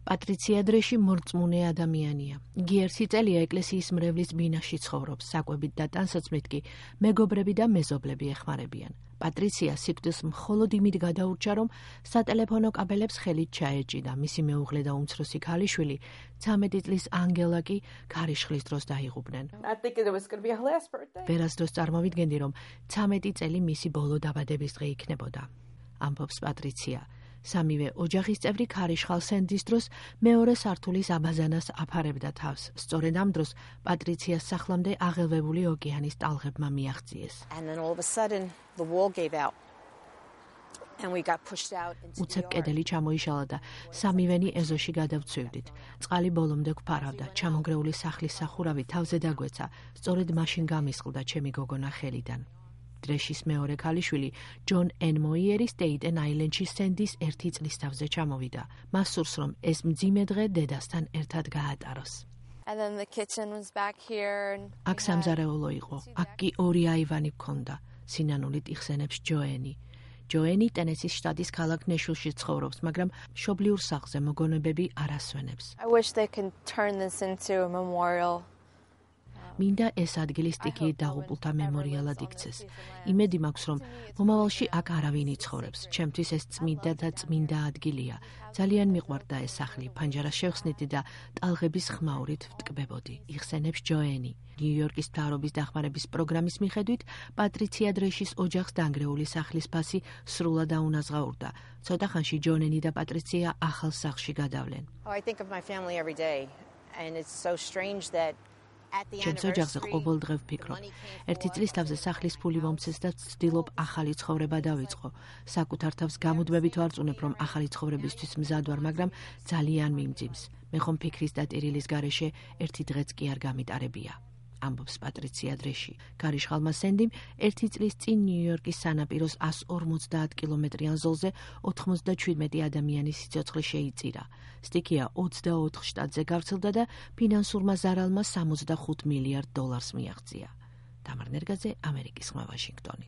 პატრიცია დრეში მორწმუნე ადამიანია. იგი 1 წელია ეკლესიის მრევლის ბინაში ცხოვრობს, საკვებით და ტანსაცმლით კი მეგობრები და მეზობლები ეხმარებიან. პატრიცია სიკვდილს მხოლოდ იმით გადაურჩა, რომ სატელეფონო კაბელებს ხელით ჩაეჭიდა. მისი მეუღლე და უმცროსი ქალიშვილი 13 წლის ანგელა კი ქარიშხლის დროს დაიღუპნენ. ვერასდროს წარმოვიდგენდი, რომ 13 წელი მისი ბოლო დაბადების დღე იქნებოდა. ამბობს პატრიცია. სამივე ოჯახის წევრი ქარიშხალ სენდის დროს მეორე სართულის აბაზანას აფარებდა თავს. სწორედ ამ დროს პატრიციას სახლამდე აღელვებული ოკეანის ტალღებმა მიაღწიეს. უცებ კედელი ჩამოიშალა და სამივენი ეზოში გადავცვივდით. წყალი ბოლომდე გვფარავდა. ჩამონგრეული სახლის სახურავი თავზე დაგვეცა. სწორედ მაშინ გამისყლდა ჩემი გოგონა ხელიდან. დრეშის მეორე ქალიშვილი ჯონ ენმოიერი სტეიტენ აილენდში სენდის 1 წლის თავზე ჩამოვიდა. მას სურს, რომ ეს მძიმე დღე დედასთან ერთად გაატაროს. აქ სამზარეულო იყო. აქ კი 2 აივანი გქონდა. სინანულით იხსენებს ჯოენი. ჯოენი ტენესის შტატის ქალაქ ნეშვილში ცხოვრობს, მაგრამ მშობლიურ სახლზე მოგონებები არ ასვენებს. მინდა ეს ადგილი სტიქიით დაღუპულთა მემორიალად იქცეს. იმედი მაქვს, რომ მომავალში აქ არავინ იცხოვრებს. ჩემთვის ეს წმინდა და წმინდა ადგილია. ძალიან მიყვარდა ეს სახლი. ფანჯარას შევხსნიდი და ტალღების ხმაურით ვტკბებოდი. იხსენებს ჯოენი. ნიუ-იორკის მთავრობის დახმარების პროგრამის მიხედვით, პატრიცია დრეშის ოჯახს დანგრეული სახლის ფასი სრულად აუნაზღაურდა. ცოტა ხანში ჯონენი და პატრიცია ახალ სახლში გადავლენ. ჩემს ოჯახზე ყოველდღე ვფიქრობ. 1 წლის თავზე სახლის ფული მომცეს და ვცდილობ ახალი ცხოვრება დავიწყო. საკუთარ თავს გამუდმებით ვარწმუნებ, რომ ახალი ცხოვრებისთვის მზად ვარ, მაგრამ ძალიან მიმძიმს. მე ხომ ფიქრის და ტირილის გარეშე 1 დღეც კი არ გამიტარებია. ამბობს პატრიცია დრეში. ქარიშხალმა სენდიმ 1 წლის წინ ნიუ-იორკის სანაპიროს 150 კილომეტრიან ზოლზე 97 ადამიანის სიცოცხლე შეიწირა. სტიქია 24 შტატზე გავრცელდა და ფინანსურმა ზარალმა $65 მილიარდ მიაღწია. თამარ ნერგაძე, ამერიკის ხმა, ვაშინგტონი.